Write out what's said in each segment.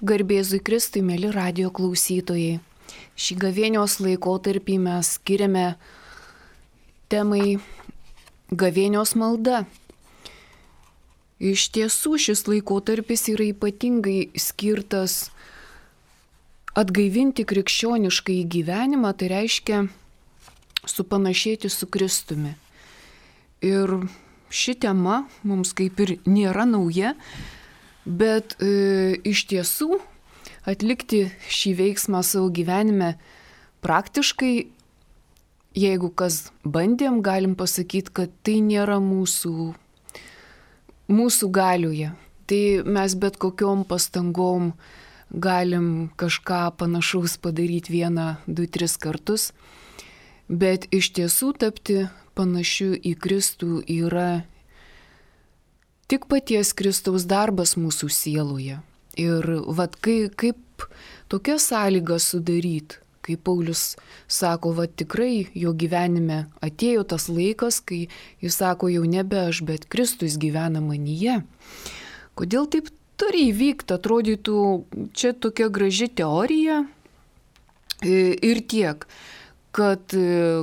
Garbėzui Kristui, mėly radijo klausytojai. Šį gavėnios laikotarpį mes skiriame temai gavėnios malda. Iš tiesų šis laikotarpis yra ypatingai skirtas atgaivinti krikščionišką gyvenimą, tai reiškia supanašėti su Kristumi. Ir ši tema mums kaip ir nėra nauja, bet iš tiesų atlikti šį veiksmą savo gyvenime praktiškai, jeigu kas bandėm, galim pasakyti, kad tai nėra mūsų galioje. Tai mes bet kokiom pastangom galim kažką panašaus padaryti 1, 2, 3 kartus, bet iš tiesų tapti panašiu į Kristų yra tik paties Kristaus darbas mūsų sieloje. Ir kaip tokia sąlyga sudaryti, kai Paulius sako, tikrai jo gyvenime atėjo tas laikas, kai jis sako, jau nebe aš, bet Kristus gyvena manyje. Kodėl taip turi įvykti? Atrodytų, čia tokia graži teorija ir tiek, kad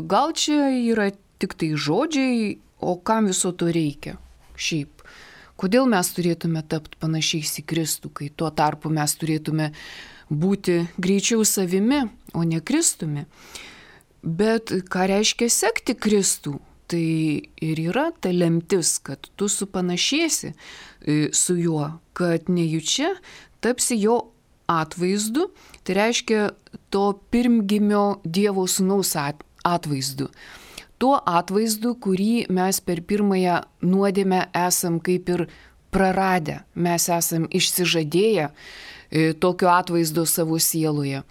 gal čia yra tik tai žodžiai, o kam viso to reikia šiaip? Kodėl mes turėtume tapti panašiais į Kristų, kai tuo tarpu mes turėtume būti greičiau savimi, o ne Kristumi? Bet ką reiškia sekti Kristų? Tai ir yra ta lemtis, kad tu supanašėsi su juo, kad nejučia tapsi jo atvaizdu, tai reiškia to pirmgimio Dievo Sūnaus atvaizdu. Tuo atvaizdu, kurį mes per pirmąją nuodėmę esam kaip ir praradę. Mes esam išsižadėję tokio atvaizdo savo sieloje.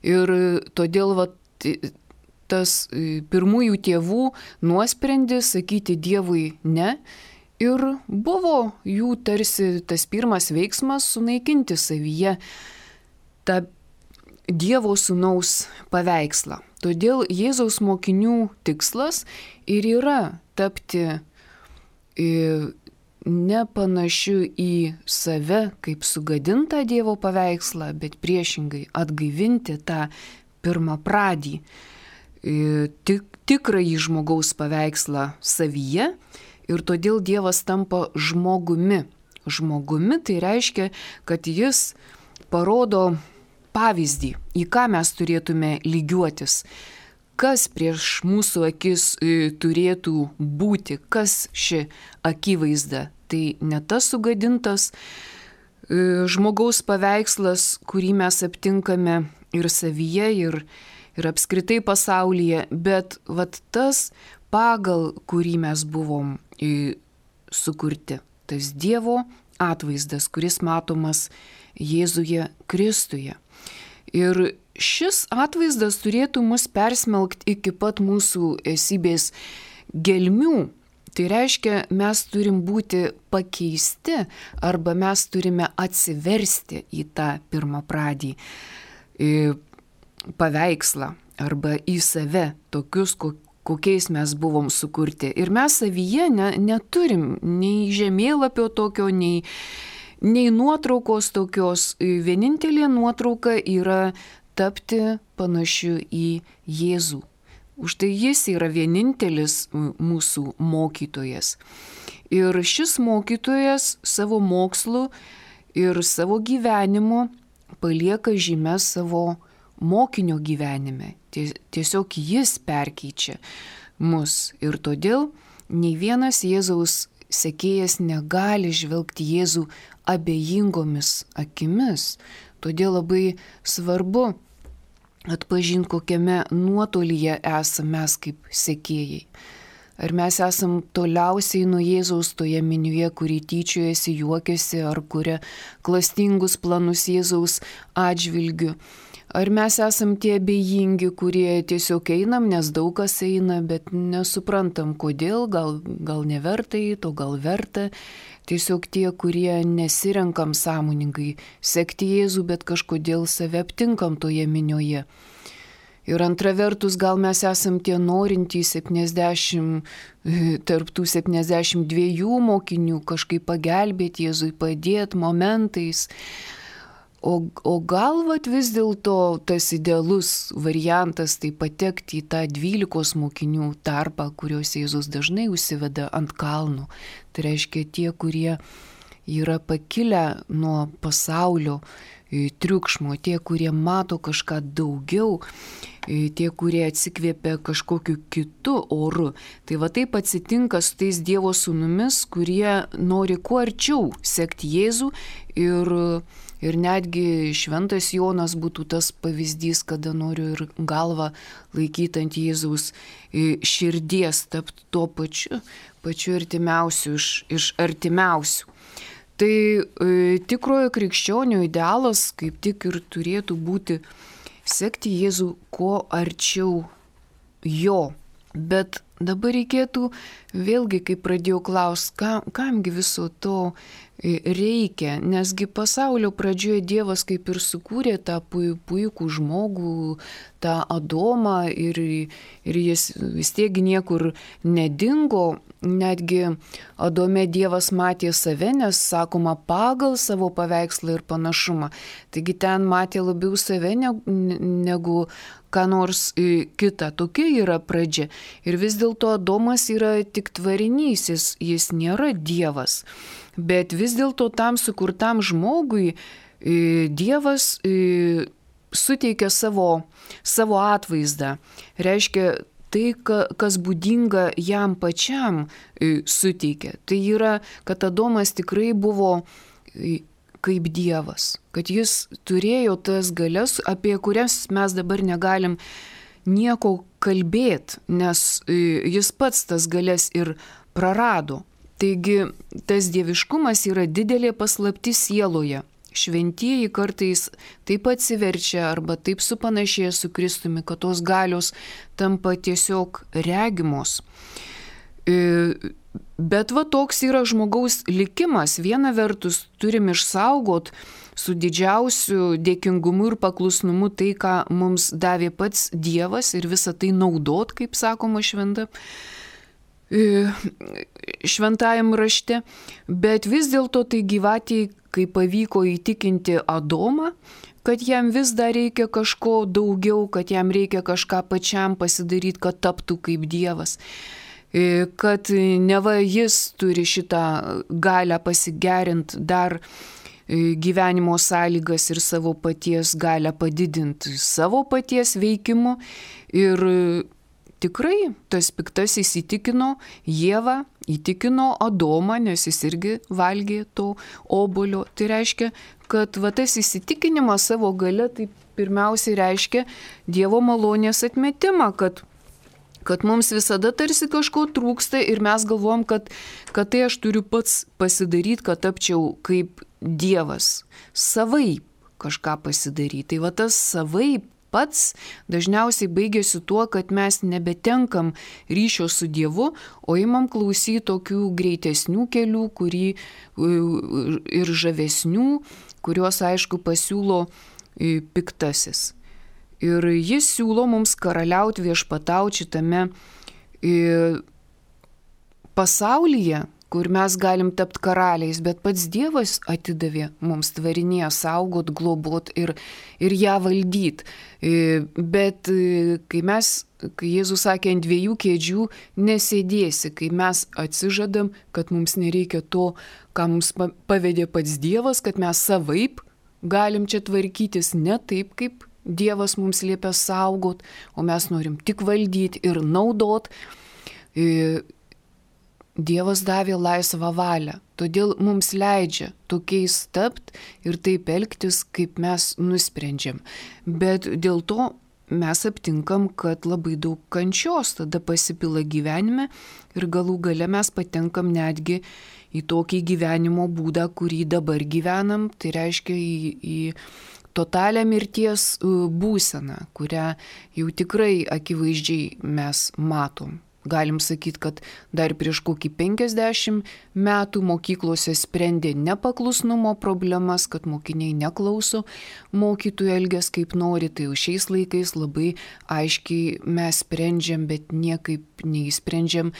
Ir todėl tas pirmųjų tėvų nuosprendis sakyti Dievui ne ir buvo jų tarsi tas pirmas veiksmas sunaikinti savyje tą Dievo Sūnaus paveikslą. Todėl Jėzaus mokinių tikslas ir yra tapti nepanašiu į save kaip sugadintą Dievo paveikslą, bet priešingai atgaivinti tą pirmapradį, tikrąjį žmogaus paveikslą savyje ir todėl Dievas tampa žmogumi. Žmogumi tai reiškia, kad jis parodo pavyzdį, į ką mes turėtume lygiuotis, kas prieš mūsų akis turėtų būti, kas ši akivaizda. Tai ne tas sugadintas žmogaus paveikslas, kurį mes aptinkame ir savyje, ir apskritai pasaulyje, bet tas, pagal kurį mes buvom sukurti, tas Dievo atvaizdas, kuris matomas Jėzuje Kristuje. Ir šis atvaizdas turėtų mus persmelkti iki pat mūsų esybės gelmių. Tai reiškia, mes turim būti pakeisti arba mes turime atsiversti į tą pirmapradį paveikslą arba į save, tokius, kokiais mes buvom sukurti. Ir mes savyje neturim nei žemėlapio tokio, nei nuotraukos tokios. Vienintelė nuotrauka yra tapti panašiu į Jėzų. Užtai jis yra vienintelis mūsų mokytojas. Ir šis mokytojas savo mokslu ir savo gyvenimu palieka žymę savo mokinio gyvenime. Tiesiog jis perkeičia mus. Ir todėl nei vienas Jėzaus sekėjas negali žvelgti Jėzų abejingomis akimis. Todėl labai svarbu atpažinti, kokiame nuotolyje esame mes kaip sekėjai. Ar mes esam toliausiai nuo Jėzaus toje minioje, kuri tyčiojasi, juokiasi ar kuria klastingus planus Jėzaus atžvilgiu. Ar mes esam tie abejingi, kurie tiesiog einam, nes daug kas eina, bet nesuprantam kodėl, gal neverta eiti, o gal verta. Tiesiog tie, kurie nesirenkam sąmoningai sekti Jėzų, bet kažkodėl save aptinkam toje minioje. Ir antra vertus, gal mes esam tie norintys 70, tarp tų 72 mokinių kažkaip pagelbėti Jėzui, padėti momentais. o gal vat vis dėlto tas idealus variantas tai patekti į tą 12 mokinių tarpą, kuriuos Jėzus dažnai užsiveda ant kalnų. Tai reiškia tie, kurie yra pakilę nuo pasaulio triukšmo, tie, kurie mato kažką daugiau, tie, kurie atsikvėpia kažkokiu kitu oru. Tai va taip atsitinka su tais Dievo sūnumis, kurie nori kuo arčiau sekti Jėzų ir netgi šventas Jonas būtų tas pavyzdys, kada noriu ir galvą laikyti ant Jėzaus širdies, tapti tuo pačiu artimiausiu iš artimiausių. Tai tikrojo krikščionio idealas kaip tik ir turėtų būti sekti Jėzų kuo arčiau jo. Bet dabar reikėtų vėlgi, kai pradėjau klausti, kamgi viso to reikia, nesgi pasaulio pradžioje Dievas kaip ir sukūrė tą puikų žmogų, tą Adomą ir jis vis tiek niekur nedingo. Netgi Adome Dievas matė save, nes sakoma pagal savo paveikslą ir panašumą. Taigi ten matė labiau save negu ką nors kita. Tokia yra pradžia. Ir vis dėlto Adomas yra tik tvarinys, jis nėra Dievas. Bet vis dėlto tam sukurtam žmogui Dievas suteikia savo atvaizdą. Reiškia, tai, kas būdinga jam pačiam suteikia. Tai yra, kad Adomas tikrai buvo kaip Dievas, kad jis turėjo tas galias, apie kurias mes dabar negalim nieko kalbėti, nes jis pats tas galias ir prarado. Taigi tas dieviškumas yra didelė paslaptis sieloje. Šventieji kartais taip atsiverčia arba taip supanašėja su Kristumi, kad tos galios tampa tiesiog regimos. Bet va toks yra žmogaus likimas. Viena vertus turim išsaugot su didžiausiu dėkingumu ir paklusnumu tai, ką mums davė pats Dievas ir visą tai naudot, kaip sakoma šventajam rašte. Bet vis dėlto tai gyvatėjai, kai pavyko įtikinti Adomą, kad jam vis dar reikia kažko daugiau, kad jam reikia kažką pačiam pasidaryti, kad taptų kaip Dievas. Kad neva jis turi šitą galią pasigerinti dar gyvenimo sąlygas ir savo paties galią padidinti savo paties veikimu. Ir tikrai tas piktasis įtikino Ievą, įtikino Adomą, nes jis irgi valgė to obuolio. Tai reiškia, kad va tas įsitikinimas savo gale tai pirmiausiai reiškia Dievo malonės atmetimą, kad mums visada tarsi kažko trūksta ir mes galvom, kad tai aš turiu pats pasidaryti, kad tapčiau kaip Dievas. Savaip kažką pasidaryti. Tai va tas savaip pats dažniausiai baigėsi tuo, kad mes nebetenkam ryšio su Dievu, o imam klausyti tokių greitesnių kelių, ir žavesnių, kuriuos aišku pasiūlo piktasis. Ir jis siūlo mums karaliauti, viešpatauti šitame pasaulyje, kur mes galim tapti karaliais, bet pats Dievas atidavė mums tvarinėje saugot, globot ir ją valdyt. Bet kai Jėzus sakė, ant 2 kėdžių nesėdėsi, kai mes atsižadam, kad mums nereikia to, ką mums pavedė pats Dievas, kad mes savaip galim čia tvarkytis ne taip, kaip Dievas mums liepia saugot, o mes norim tik valdyti ir naudot. Dievas davė laisvą valią, todėl mums leidžia tokiais tapti ir taip elgtis, kaip mes nusprendžiam. Bet dėl to mes aptinkam, kad labai daug kančios tada pasipila gyvenime ir galų gale mes patenkam netgi į tokį gyvenimo būdą, kurį dabar gyvenam, tai reiškia į totalią mirties būseną, kurią jau tikrai akivaizdžiai mes matom. Galim sakyti, kad dar prieš kokį 50 metų mokyklose sprendė nepaklusnumo problemas, kad mokiniai neklauso mokytojų, elgias kaip nori, tai jau šiais laikais labai aiškiai mes sprendžiam, bet niekaip neįsprendžiam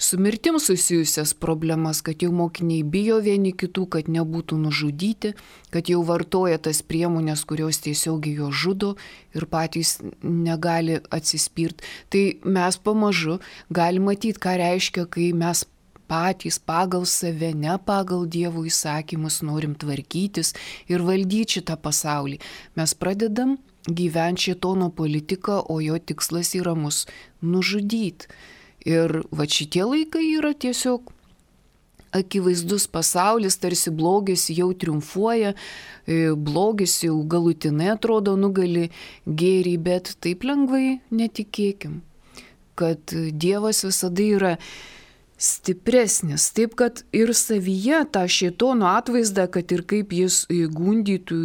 su mirtim susijusias problemas, kad jau mokiniai bijo vieni kitų, kad nebūtų nužudyti, kad jau vartoja tas priemonės, kurios tiesiogiai jo žudo ir patys negali atsispirti. Tai mes pamažu galime matyti, ką reiškia, kai mes patys pagal save, ne pagal Dievo įsakymus norim tvarkytis ir valdyti šitą pasaulį. Mes pradedam gyventi šėtono politiką, o jo tikslas yra mus nužudyti. Ir va šitie laikai yra tiesiog akivaizdus pasaulis, tarsi blogis jau triumfuoja, blogis jau galutinai atrodo nugali gėrį, bet taip lengvai netikėkim, kad Dievas visada yra stipresnis, taip kad ir savyje tą šėtono atvaizdą, kad ir kaip jis gundytų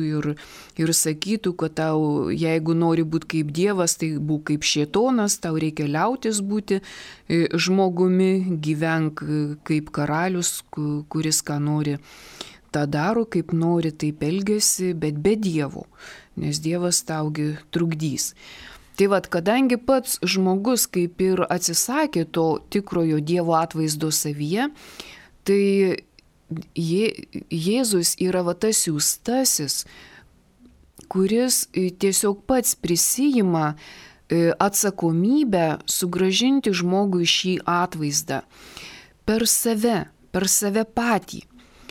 ir sakytų, kad tau, jeigu nori būti kaip Dievas, tai būk kaip šėtonas, tau reikia liautis būti žmogumi, gyvenk kaip karalius, kuris ką nori, tą daro, kaip nori, taip elgiasi, bet be Dievo, nes Dievas taugi trukdys. Tai vad, kadangi pats žmogus kaip ir atsisakė to tikrojo Dievo atvaizdo savyje, tai Jėzus yra va tas siųstasis, kuris tiesiog pats prisijima atsakomybę sugrąžinti žmogui šį atvaizdą per save patį,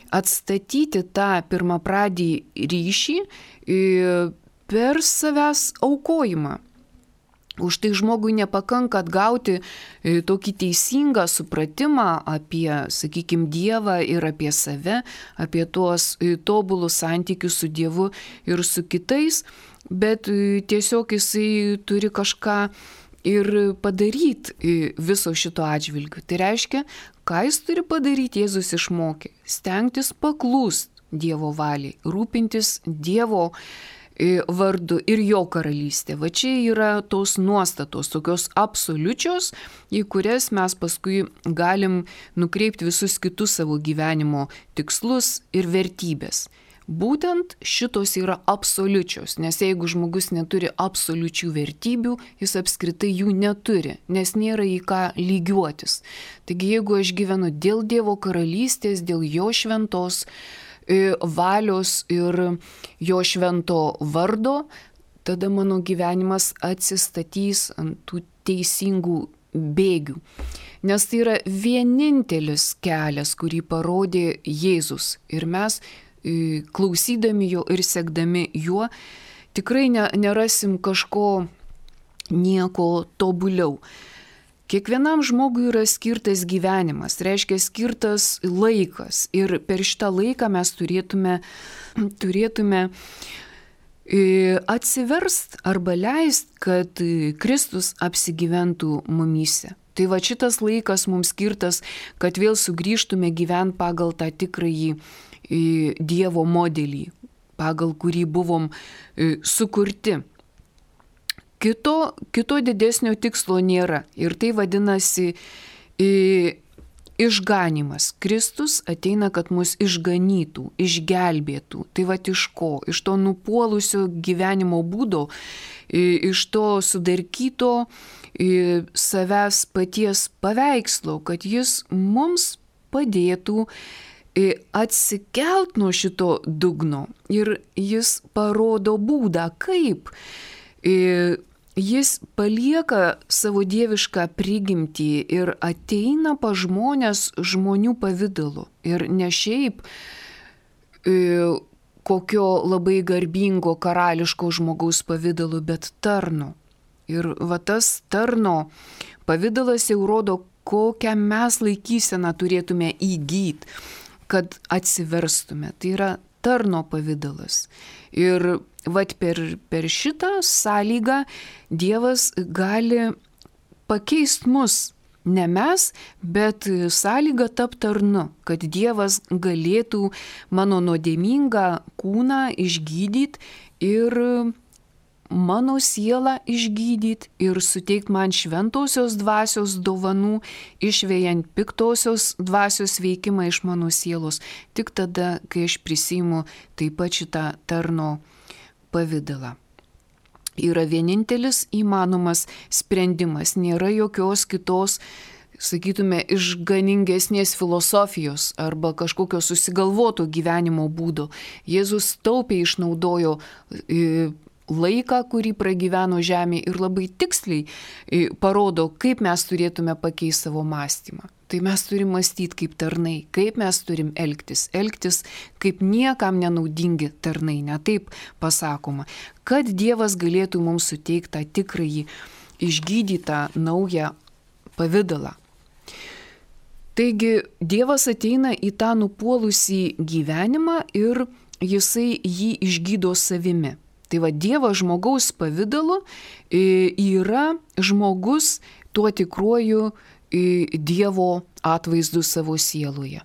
atstatyti tą pirmapradį ryšį per savęs aukojimą. Už tai žmogui nepakanka atgauti tokį teisingą supratimą apie, sakykime, Dievą ir apie save, apie tuos tobulus santykius su Dievu ir su kitais, bet tiesiog jisai turi kažką ir padaryti viso šito atžvilgiu. Tai reiškia, ką jis turi padaryti, Jėzus išmokė. Stengtis paklūst Dievo valiai, rūpintis Dievo vardu ir jo karalystė. Va čia yra tos nuostatos, tokios absoliučios, į kurias mes paskui galim nukreipti visus kitus savo gyvenimo tikslus ir vertybės. Būtent šitos yra absoliučios, nes jeigu žmogus neturi absoliučių vertybių, jis apskritai jų neturi, nes nėra į ką lygiuotis. Taigi jeigu aš gyvenu dėl Dievo karalystės, dėl jo šventos valios ir jo švento vardo, tada mano gyvenimas atsistatys ant tų teisingų bėgių. Nes tai yra vienintelis kelias, kurį parodė Jėzus. Ir mes, klausydami jo ir sekdami juo, tikrai nerasim kažko nieko tobuliau. Kiekvienam žmogui yra skirtas gyvenimas, reiškia skirtas laikas ir per šitą laiką mes turėtume atsiverst arba leist, kad Kristus apsigyventų mumyse. Tai va šitas laikas mums skirtas, kad vėl sugrįžtume gyventi pagal tą tikrąjį Dievo modelį, pagal kurį buvom sukurti. Kito didesnio tikslo nėra ir tai vadinasi išganimas. Kristus ateina, kad mus išganytų, išgelbėtų. Tai va iš ko? Iš to nupuolusio gyvenimo būdo, iš to sudarkyto savęs paties paveikslo, kad jis mums padėtų atsikelt nuo šito dugno. Ir jis parodo būdą, kaip jis palieka savo dievišką prigimtį ir ateina pas žmonės žmonių pavidalu. Ir ne šiaip kokio labai garbingo karališko žmogaus pavidalu, bet tarno. Ir va tas tarno pavidalas jau rodo, kokią mes laikyseną turėtume įgyti, kad atsiverstume. Tai yra tarno pavidalas. Ir vat per šitą sąlygą Dievas gali pakeisti mus. Ne mes, bet sąlyga tapti tarnu, kad Dievas galėtų mano nuodėmingą kūną išgydyti ir mano sielą išgydyti ir suteikti man šventosios dvasios dovanų, išvejant piktosios dvasios veikimą iš mano sielos. Tik tada, kai aš prisiimu taip pat šitą tarno pavidalą. Yra vienintelis įmanomas sprendimas, nėra jokios kitos sakytume, išganingesnės filosofijos arba kažkokio susigalvoto gyvenimo būdo. Jėzus taupiai išnaudojo laiką, kurį pragyveno žemėje ir labai tiksliai parodo, kaip mes turėtume pakeisti savo mąstymą. Tai mes turim mąstyti kaip tarnai, kaip mes turim elgtis kaip niekam nenaudingi tarnai, ne taip pasakoma, kad Dievas galėtų mums suteikti tą tikrąjį išgydytą naują pavidalą. Taigi Dievas ateina į tą nupuolusį gyvenimą ir jisai jį išgydo savimi. Tai va, Dievas žmogaus pavidalu yra žmogus tuo tikruoju Dievo atvaizdu savo sieloje.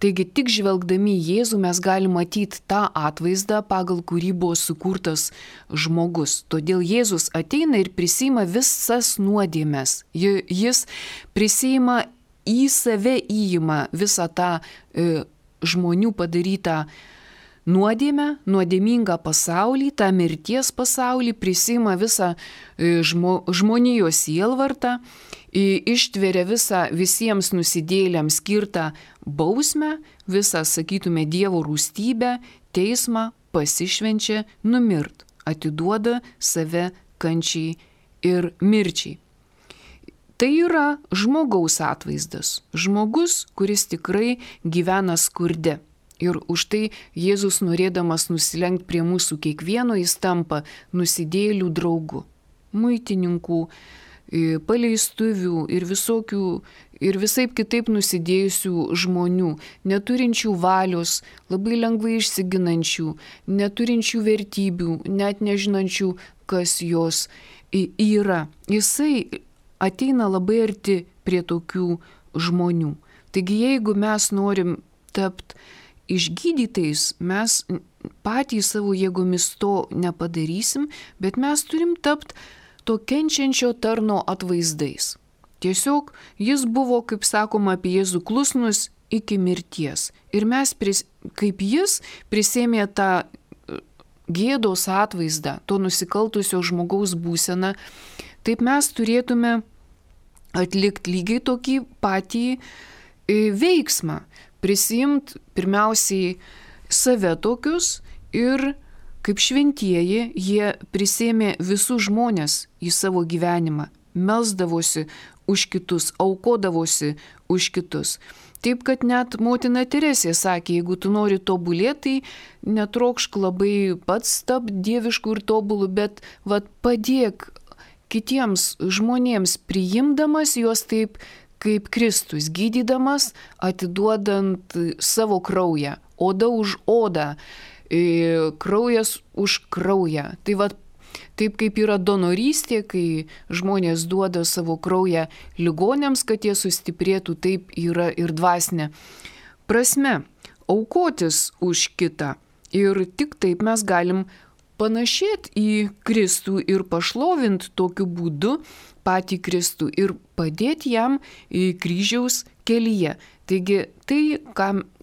Taigi tik žvelgdami į Jėzų mes galime matyti tą atvaizdą, pagal kurį buvo sukurtas žmogus. Todėl Jėzus ateina ir prisiima visas nuodėmes. Jis prisiima į save, įima visą tą žmonių padarytą nuodėmę, nuodėmingą pasaulį, tą mirties pasaulį, prisiima visą žmonijos sielvartą, ištveria visą visiems nusidėjėliams skirtą bausmę, visą, sakytume, Dievo rūstybę, teismą, pasišvenčia numirt, atiduoda save kančiai ir mirčiai. Tai yra žmogaus atvaizdas, žmogus, kuris tikrai gyvena skurde. Ir už tai Jėzus, norėdamas nusilenkti prie mūsų kiekvieno, jis tampa nusidėjėlių draugu, muitininkų, paleistuvių ir visokių ir visaip kitaip nusidėjusių žmonių, neturinčių valios, labai lengvai išsiginančių, neturinčių vertybių, net nežinančių, kas jos yra. Jisai ateina labai arti prie tokių žmonių. Taigi jeigu mes norim tapti išgydytais, mes patys savo jėgomis to nepadarysim, bet mes turim tapti to kenčiančio tarno atvaizdais. Tiesiog jis buvo, kaip sakoma apie Jėzų, klusnus iki mirties. Ir mes, kaip jis, prisėmė tą gėdos atvaizdą, to nusikaltusio žmogaus būseną, taip mes turėtume atlikti lygiai tokį patį veiksmą. Prisiimti pirmiausiai save tokius ir kaip šventieji jie prisėmė visus žmonės į savo gyvenimą, melsdavosi už kitus, aukodavosi už kitus. Taip, kad net motina Teresė sakė, jeigu tu nori tobulėti, tai netrokšk labai pats tapti dievišku ir tobulu, bet padėk kitiems žmonėms, priimdamas juos taip kaip Kristus, gydydamas, atiduodant savo kraują, oda už odą, kraujas už kraują. Tai taip kaip yra donorystė, kai žmonės duoda savo kraują ligoniams, kad jie sustiprėtų, taip yra ir dvasinė prasme, aukotis už kitą. Ir tik taip mes galim panašėti į Kristų ir pašlovinti tokiu būdu patį Kristų ir padėti jam į kryžiaus kelyje. Taigi tai,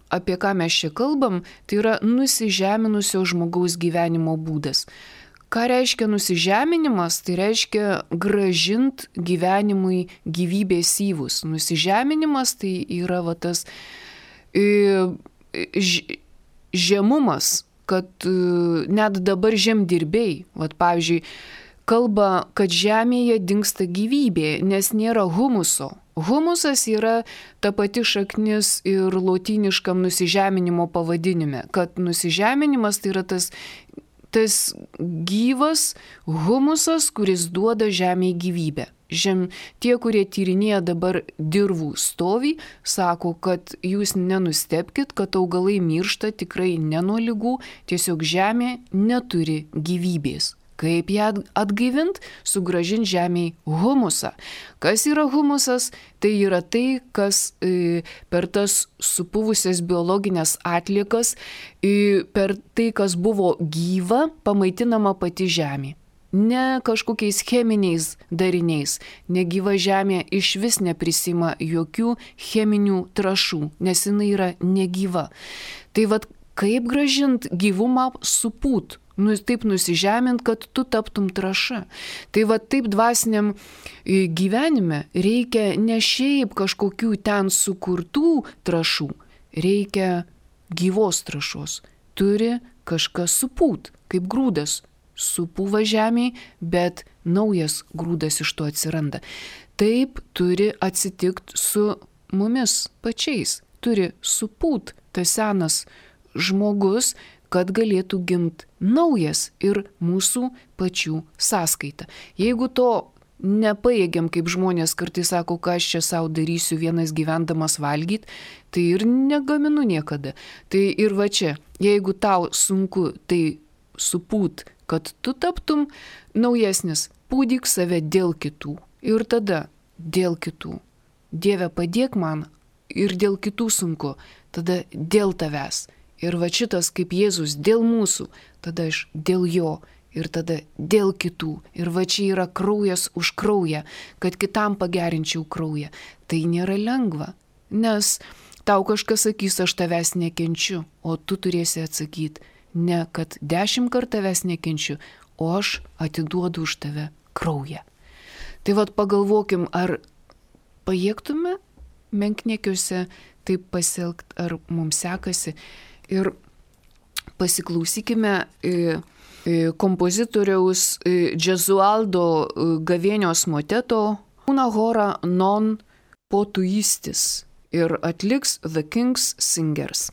apie ką mes čia kalbam, tai yra nusižeminusio žmogaus gyvenimo būdas. Ką reiškia nusižeminimas? Tai reiškia grąžint gyvenimui gyvybės syvus. Nusižeminimas tai yra tas žemumas, kad net dabar žemdirbiai, pavyzdžiui, kalba, kad žemėje dingsta gyvybė, nes nėra humuso. Humusas yra ta pati šaknis ir lotyniškam nusižeminimo pavadinime, kad nusižeminimas tai yra tas gyvas humusas, kuris duoda žemėje gyvybę. Tie, kurie tyrinėja dabar dirvų stovį, sako, kad jūs nenustebkit, kad augalai miršta tikrai ne nuo ligų, tiesiog žemė neturi gyvybės. Kaip ją atgaivint? Sugrąžint žemėje humusą. Kas yra humusas? Tai yra tai, kas per tas supuvusias biologinės atliekas, per tai, kas buvo gyva, pamaitinama pati žemė. Ne kažkokiais cheminiais dariniais. Negyva žemė iš vis neprisima jokių cheminių trąšų, nes jinai yra negyva. Tai kaip grąžint gyvumą supūt? taip nusižemint, kad tu taptum trąša. Tai va taip dvasiniam gyvenime reikia ne šiaip kažkokių ten sukurtų trąšų, reikia gyvos trąšos. Turi kažkas supūt, kaip grūdas. Supūva žemėje, bet naujas grūdas iš to atsiranda. Taip turi atsitikti su mumis pačiais. Turi supūt tas senas žmogus, kad galėtų gimti naujas ir mūsų pačių sąskaita. Jeigu to nepajėgiam, kaip žmonės kartais sako, ką aš čia savo darysiu vienas gyvendamas valgyti, tai ir negaminu niekada. Tai ir va čia, jeigu tau sunku tai supūt, kad tu taptum naujesnis, pūdyk save dėl kitų. Ir tada dėl kitų. Dieve, padėk man, ir dėl kitų sunku, tada dėl tavęs. Ir va šitas kaip Jėzus dėl mūsų, tada aš dėl jo. Ir tada dėl kitų. Ir va čia yra kraujas už kraują, kad kitam pagerinčiau kraują. Tai nėra lengva, nes tau kažkas sakys, aš tavęs nekenčiu, o tu turėsi atsakyti, ne kad 10 kartų tavęs nekenčiu, o aš atiduodu už tave kraują. Tai vad pagalvokim, ar pajėgtume menkniekiuose taip pasielgti, ar mums sekasi. Ir pasiklausykime kompozitoriaus Gesualdo gavėnios moteto Una hora non potuistis ir atliks The King's Singers.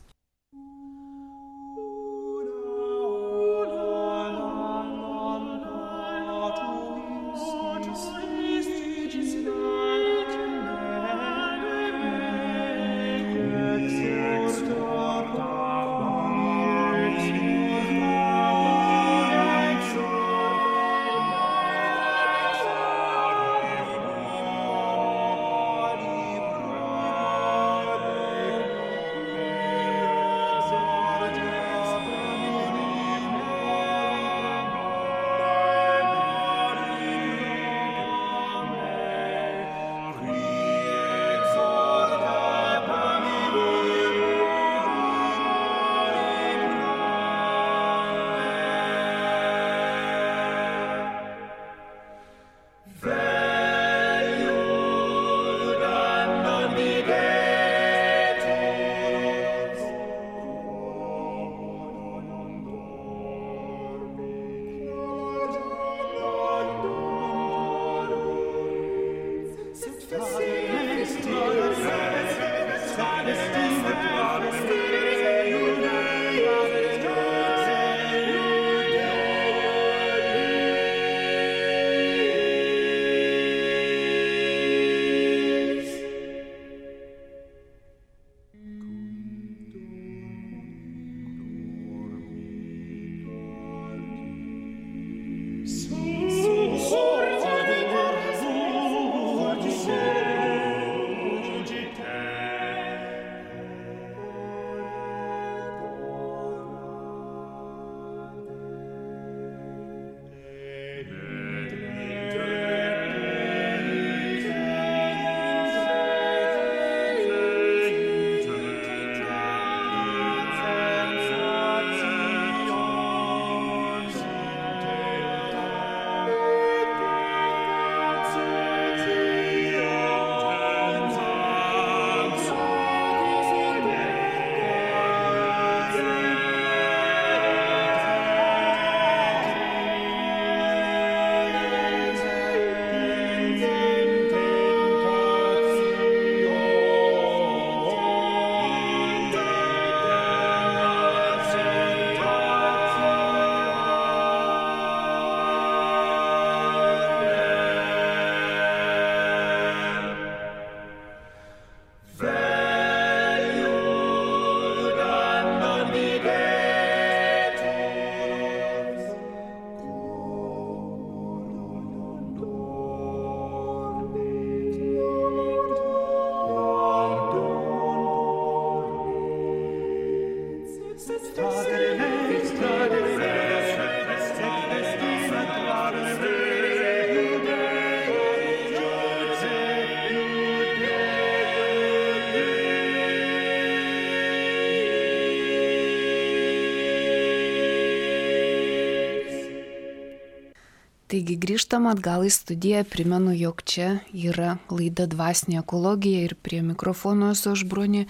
Taigi grįžtam atgal į studiją, primenu, jog čia yra laida Dvasinė ekologija ir prie mikrofono esu aš Bronė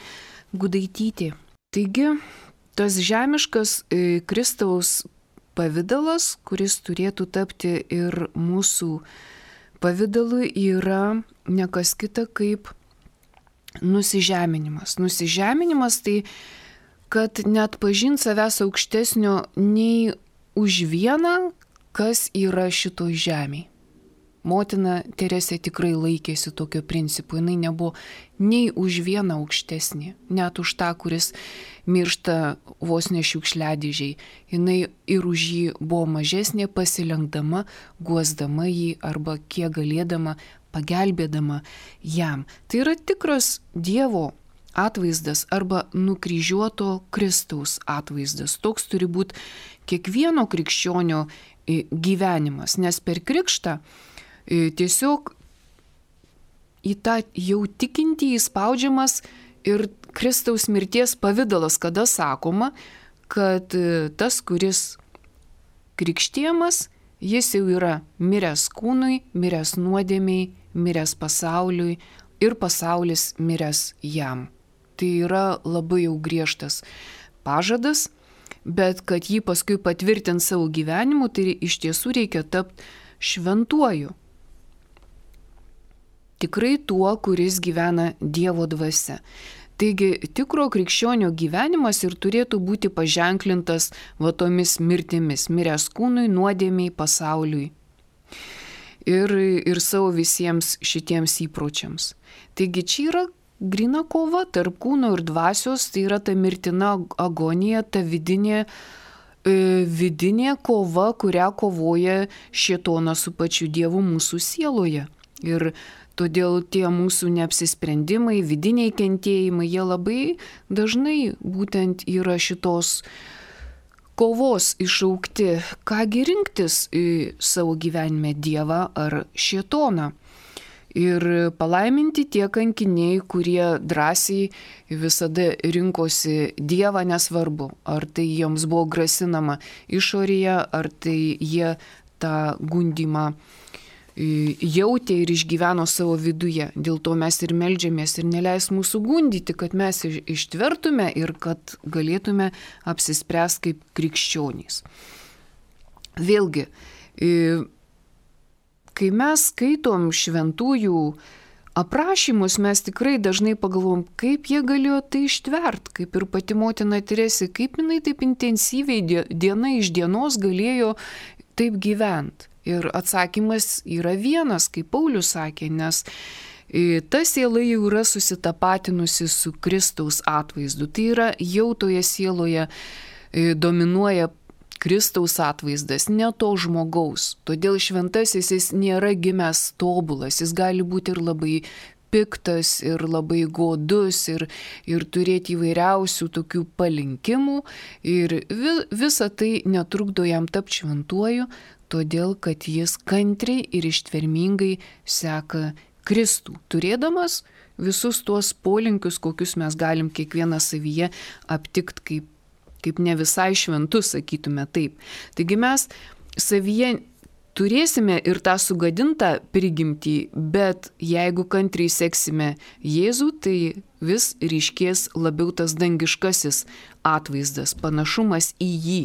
Gudaitytė. Taigi, tas žemiškas Kristaus pavidalas, kuris turėtų tapti ir mūsų pavidalu, yra ne kas kita kaip nusižeminimas. Nusižeminimas tai, kad net pažint savęs aukštesnio nei už vieną, kas yra šitoj žemėj. Motina Teresė tikrai laikėsi tokio principo, jinai nebuvo nei už vieną aukštesnė, net už tą, kuris miršta vos ne šiukšliadėžiai. Jinai ir už jį buvo mažesnė, pasilenkdama, guosdama jį arba kiek galėdama, pagelbėdama jam. Tai yra tikras Dievo atvaizdas arba nukryžiuoto Kristaus atvaizdas. Toks turi būti kiekvieno krikščionio gyvenimas, nes per krikštą tiesiog į tą jau tikintį įspaudžiamas ir Kristaus mirties pavidalas, kada sakoma, kad tas, kuris krikštijamas, jis jau yra miręs kūnui, miręs nuodėmiai, miręs pasauliui ir pasaulis miręs jam. Tai yra labai jau griežtas pažadas, bet kad jį paskui patvirtint savo gyvenimu, tai iš tiesų reikia tapti šventuoju. Tikrai tuo, kuris gyvena Dievo dvasia. Taigi tikro krikščionio gyvenimas ir turėtų būti paženklintas tomis mirtimis, miręs kūnui, nuodėmiai, pasauliui ir savo visiems šitiems įpročiams. Taigi čia yra grina kova tarp kūno ir dvasios, tai yra ta mirtina agonija, ta vidinė kova, kurią kovoja šėtonas su pačiu Dievu mūsų sieloje. Ir todėl tie mūsų neapsisprendimai, vidiniai kentėjimai, jie labai dažnai būtent yra šitos kovos iššaukti, kągi rinktis į savo gyvenime, Dievą ar šėtoną. Ir palaiminti tie kankiniai, kurie drąsiai visada rinkosi Dievą, nesvarbu, ar tai jiems buvo grasinama išorėje, ar tai jie tą gundymą jautė ir išgyveno savo viduje. Dėl to mes ir meldžiamės ir neleis mūsų gundyti, kad mes ištvertume ir kad galėtume apsispręsti kaip krikščionys. Vėlgi, kai mes skaitom šventųjų aprašymus, mes tikrai dažnai pagalvom, kaip jie galėjo tai ištvert, kaip ir pati motina Teresė, kaip jinai taip intensyviai diena iš dienos galėjo taip gyventi. Ir atsakymas yra vienas, kaip Paulius sakė, nes ta siela jau yra susitapatinusi su Kristaus atvaizdu. Tai yra jau toje sieloje dominuoja Kristaus atvaizdas, ne to žmogaus. Todėl šventasis jis nėra gimęs tobulas, jis gali būti ir labai piktas, ir labai godus, ir turėti įvairiausių tokių palinkimų. Ir visa tai netrukdo jam tapti šventuoju, todėl kad jis kantriai ir ištvermingai seka Kristų, turėdamas visus tuos polinkius, kokius mes galim kiekvieną savyje aptikti kaip ne visai šventus, sakytume taip. Taigi mes savyje turėsime ir tą sugadintą prigimtį, bet jeigu kantriai seksime Jėzų, tai vis ryškės labiau tas dangiškasis atvaizdas, panašumas į jį.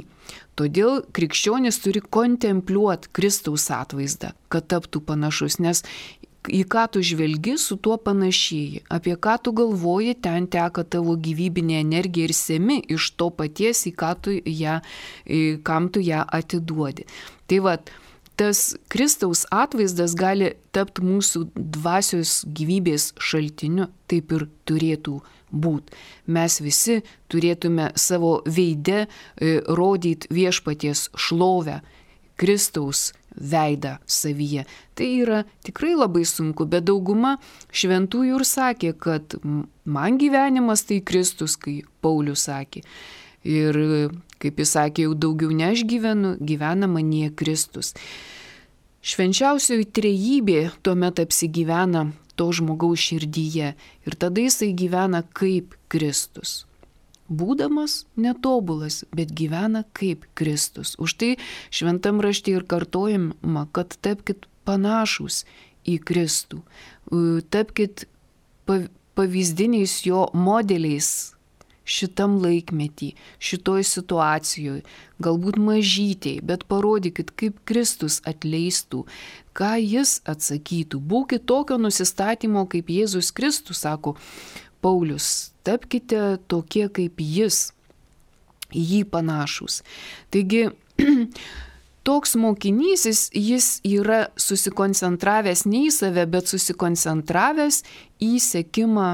Todėl krikščionis turi kontempliuoti Kristaus atvaizdą, kad taptų panašus, nes į ką tu žvelgi, su tuo panašėji, apie ką tu galvoji, ten teka tavo gyvybinė energija ir semi iš to paties, kam tu ją atiduodi. Tai tas Kristaus atvaizdas gali tapti mūsų dvasios gyvybės šaltiniu, taip ir turėtų būti. Mes visi turėtume savo veide rodyti viešpaties šlovę, Kristaus veidą savyje. Tai yra tikrai labai sunku, bet dauguma šventųjų ir sakė, kad man gyvenimas tai Kristus, kai Paulius sakė. Ir kaip jis sakė, jau daugiau ne aš gyvenu, gyvena manyje Kristus. Švenčiausioji trejybė tuomet apsigyvena to žmogaus širdyje ir tada jisai gyvena kaip Kristus. būdamas netobulas, bet gyvena kaip Kristus. Už tai šventam rašte ir kartojama, kad tapkit panašus į Kristų, tapkit pavyzdiniais jo modeliais šitam laikmetį, šitoj situacijoje, galbūt mažytėj, bet parodykit, kaip Kristus atleistų, ką jis atsakytų. Būkit tokio nusistatymo, kaip Jėzus Kristus, sako Paulius, tapkite tokie kaip jis, jį panašus. Taigi, toks mokinys, jis yra susikoncentravęs ne į save, bet susikoncentravęs į sekimą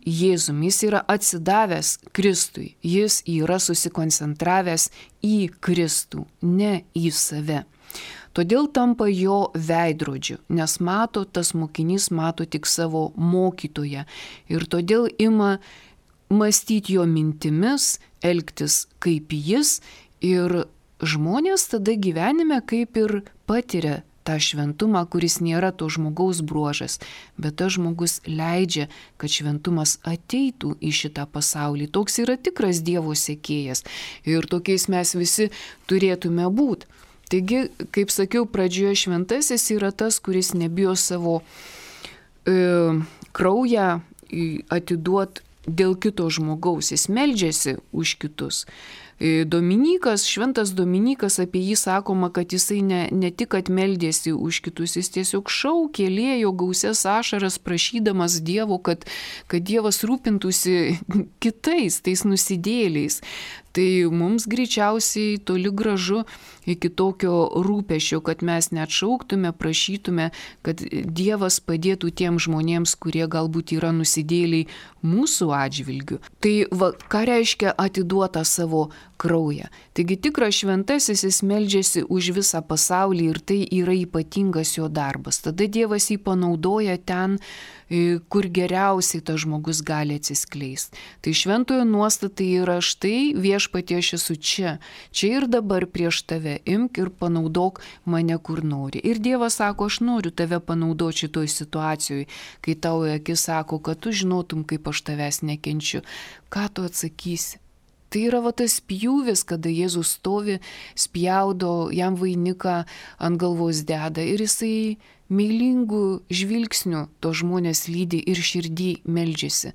Jėzumi. Jis yra atsidavęs Kristui. Jis yra susikoncentravęs į Kristų, ne į save. Todėl tampa jo veidrodžiu, nes tas mokinys mato tik savo mokytoją ir todėl ima mąstyti jo mintimis, elgtis kaip jis ir žmonės tada gyvenime kaip ir patiria tą šventumą, kuris nėra to žmogaus bruožas, bet tas žmogus leidžia, kad šventumas ateitų į šitą pasaulį. Toks yra tikras Dievo sekėjas ir tokiais mes visi turėtume būti. Taigi, kaip sakiau, pradžioje šventasis yra tas, kuris nebijo savo kraują atiduoti dėl kito žmogaus, jis meldžiasi už kitus. Dominykas, šventas Dominykas, apie jį sakoma, kad jisai ne tik atmeldėsi už kitus, jis tiesiog šaukė, liejo gausias ašaras prašydamas Dievo, kad Dievas rūpintųsi kitais, tais nusidėliais. Tai mums greičiausiai toli gražu iki tokio rūpesčio, kad mes net šauktume, prašytume, kad Dievas padėtų tiem žmonėms, kurie galbūt yra nusidėliai mūsų atžvilgiu. Tai ką reiškia atiduota savo kraują? Taigi tikras šventasis, jis meldžiasi už visą pasaulį ir tai yra ypatingas jo darbas. Tada Dievas jį panaudoja ten, kur geriausiai tas žmogus gali atsiskleisti. Tai šventojo nuostata yra štai viešpatie aš esu čia ir dabar prieš tave, imk ir panaudok mane kur nori. Ir Dievas sako, aš noriu tave panaudoti šitoj situacijoje, kai tau į akis sako, kad tu žinotum, kaip aš tavęs nekenčiu. Ką tu atsakysi? Tai yra tas pjūvis, kada Jėzus stovi, spjaudo, jam vainiką ant galvos deda ir jisai meilingų žvilgsnių to žmonės lydi ir širdį meldžiasi.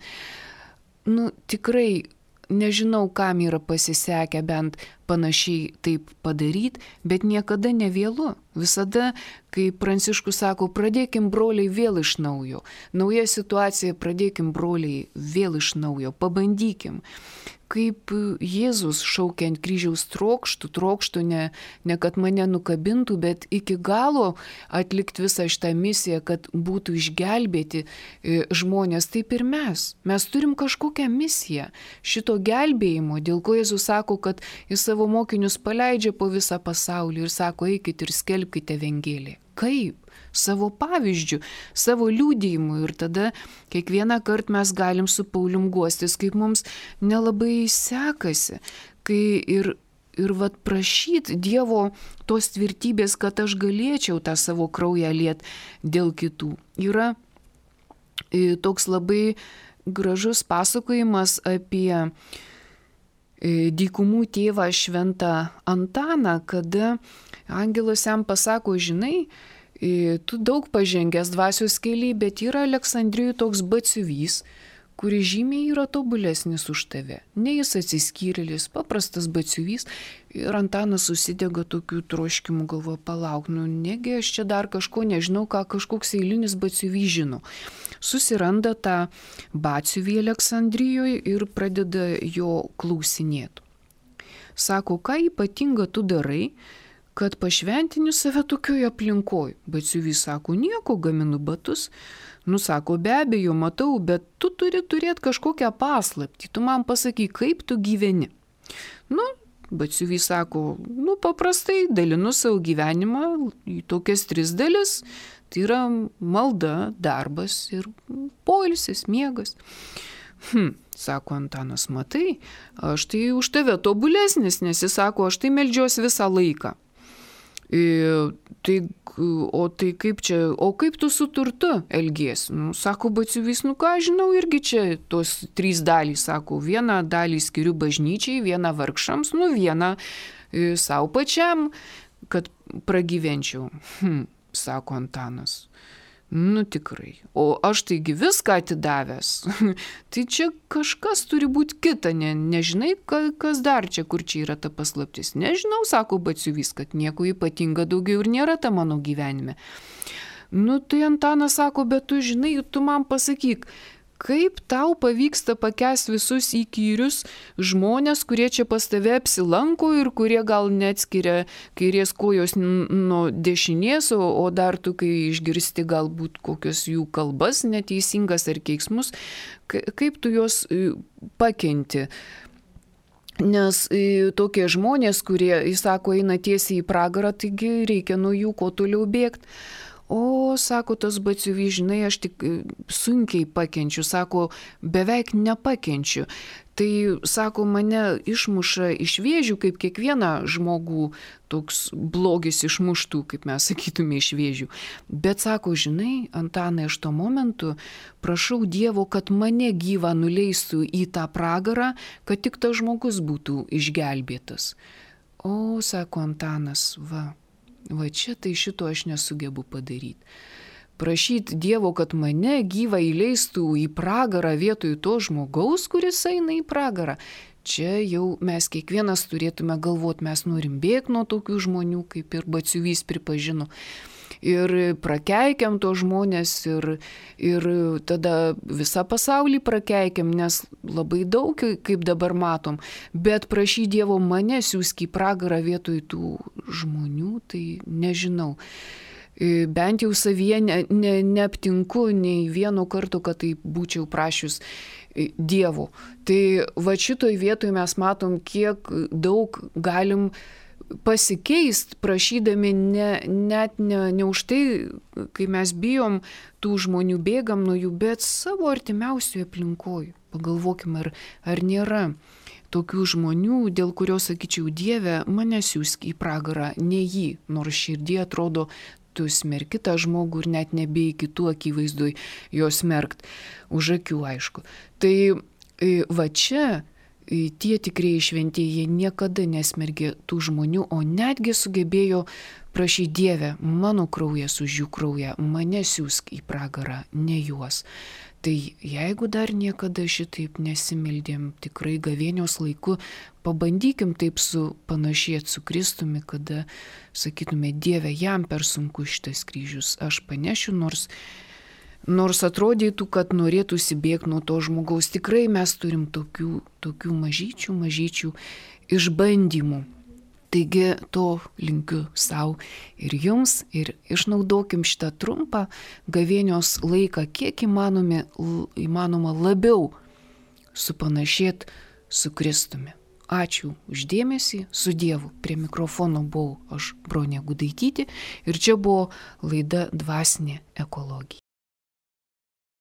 Tikrai nežinau, kam yra pasisekę bent panašiai taip padaryti, bet niekada nevėlu. Visada, kai Pranciškus sako, pradėkim broliai vėl iš naujo. Nauja situacija, pradėkim broliai vėl iš naujo, pabandykim. Kaip Jėzus šaukia ant kryžiaus trokštų, ne kad mane nukabintų, bet iki galo atlikti visą šitą misiją, kad būtų išgelbėti žmonės, taip ir mes. Mes turim kažkokią misiją šito gelbėjimo, dėl ko Jėzus sako, kad jis savo mokinius paleidžia po visą pasaulį ir sako, eikit ir skelbkite Evangeliją. Kaip? Savo pavyzdžių, savo liudijimu ir tada kiekvieną kartą mes galim su Paulium guostis, kaip mums nelabai sekasi, kai ir prašyti Dievo tos tvirtybės, kad aš galėčiau tą savo kraują liet dėl kitų. Yra toks labai gražus pasakojimas apie dykumų tėvą šventą Antaną, kada angelas jam pasako, žinai, tu daug pažengęs dvasios kely, bet yra Aleksandrijoje toks batsiuvys, kuris žymiai yra tobulesnis už tave. Ne jis atsiskyrėlis, paprastas batsiuvys. Ir Antanas susidega tokių troškimų, galvoja, palauk, negi aš čia dar kažko nežinau, ką kažkoks eilinis batsiuvys žino. Susiranda tą batsiuvį Aleksandrijoje ir pradeda jo klausinėti. Sako, ką ypatinga tu darai, kad pašventini save tokioje aplinkoje. Batsiuvys sako, nieko, gaminu batus. Sako, be abejo, matau, bet tu turi turėti kažkokią paslaptį. Tu man pasakyk, kaip tu gyveni. Batsiuvys sako, paprastai dalinu savo gyvenimą į tokias 3 dalis. Tai yra malda, darbas ir poilsis, miegas. Sako Antanas, matai, aš tai už tave tobulesnis, nes jis sako, aš tai meldžiuosi visą laiką. Tai, o tai kaip čia, o kaip tu su turtu elgiesi? Nu, sako batsiuvys, nu ką žinau, irgi čia tos 3 dalys, sako, vieną dalį skiriu bažnyčiai, vieną vargšams, nu vieną savo pačiam, kad pragyvenčiau. Sako Antanas. Nu tikrai. O aš taigi viską atidavęs. Tai čia kažkas turi būti kita, nežinai, kas dar čia, kur čia yra ta paslaptis. Nežinau, sako batsiuvys, kad nieko ypatinga daugiau ir nėra ta mano gyvenime. Nu tai Antanas sako, bet tu žinai, tu man pasakyk, kaip tau pavyksta pakęsti visus įkyrius žmonės, kurie čia pas tave apsilanko ir kurie gal neatskiria kairės kojos nuo dešinės, o dar tu, kai išgirsti galbūt kokios jų kalbas neteisingas ar keiksmus, kaip tu juos pakenti. Nes tokie žmonės, kurie, jis sako, eina tiesiai į pragarą, taigi reikia nuo jų kuo toliau bėgti. O, sako tas batsiuvys, žinai, aš tik sunkiai pakenčiu, sako, beveik nepakenčiu. Tai, sako, mane išmuša iš vėžių, kaip kiekvieną žmogų toks blogis išmuštų, kaip mes sakytume, iš vėžių. Bet, sako, žinai, Antanai, aš tuo momentu prašau Dievo, kad mane gyvą nuleistų į tą pragarą, kad tik tas žmogus būtų išgelbėtas. O, sako Antanas, Va čia tai šito aš nesugebu padaryti. Prašyti Dievo, kad mane gyvą įleistų į pragarą vietoj to žmogaus, kuris eina į pragarą. Čia jau mes kiekvienas turėtume galvoti, mes norim bėgti nuo tokių žmonių, kaip ir batsiuvys pripažino. Ir prakeikiam to žmonės ir tada visą pasaulį prakeikiam, nes labai daug, kaip dabar matom. Bet prašy Dievo mane siųsk į pragarą vietoj tų žmonių, tai nežinau. Bent jau savyje neaptinku nei vieno karto, kad tai būčiau prašius Dievo. Tai va šitoj vietoj mes matom, kiek daug galim pasikeist, prašydami net ne už tai, kai mes bijom tų žmonių, bėgam nuo jų, bet savo artimiausioje aplinkoje. Pagalvokime, ar nėra tokių žmonių, dėl kurio sakyčiau, Dieve, mane siųsk į pragarą, ne jį, nors širdie atrodo, tu smerki tą žmogų ir net nebėjai kitų akivaizdoj jo smerkt, už akių aišku. Tai va čia tie tikrieji šventieji, jie niekada nesmergė tų žmonių, o netgi sugebėjo prašyti Dieve, mano kraujas už jų kraują, mane siųsk į pragarą, ne juos. Tai jeigu dar niekada šitaip nesimildėm, tikrai gavėnios laiku, pabandykim taip panašėti su Kristumi, kada sakytume, Dieve, jam per sunku šitas kryžius, aš panešiu, nors atrodytų, kad norėtųsi bėgti nuo to žmogaus. Tikrai mes turim tokių mažyčių išbandymų. Taigi to linkiu savo ir jums ir išnaudokim šitą trumpą gavėnios laiką, kiek įmanoma labiau supanašėti su Kristumi. Ačiū už dėmesį, su Dievu. Prie mikrofono buvau aš, Bronė Gudaitytė, ir čia buvo laida Dvasinė ekologija.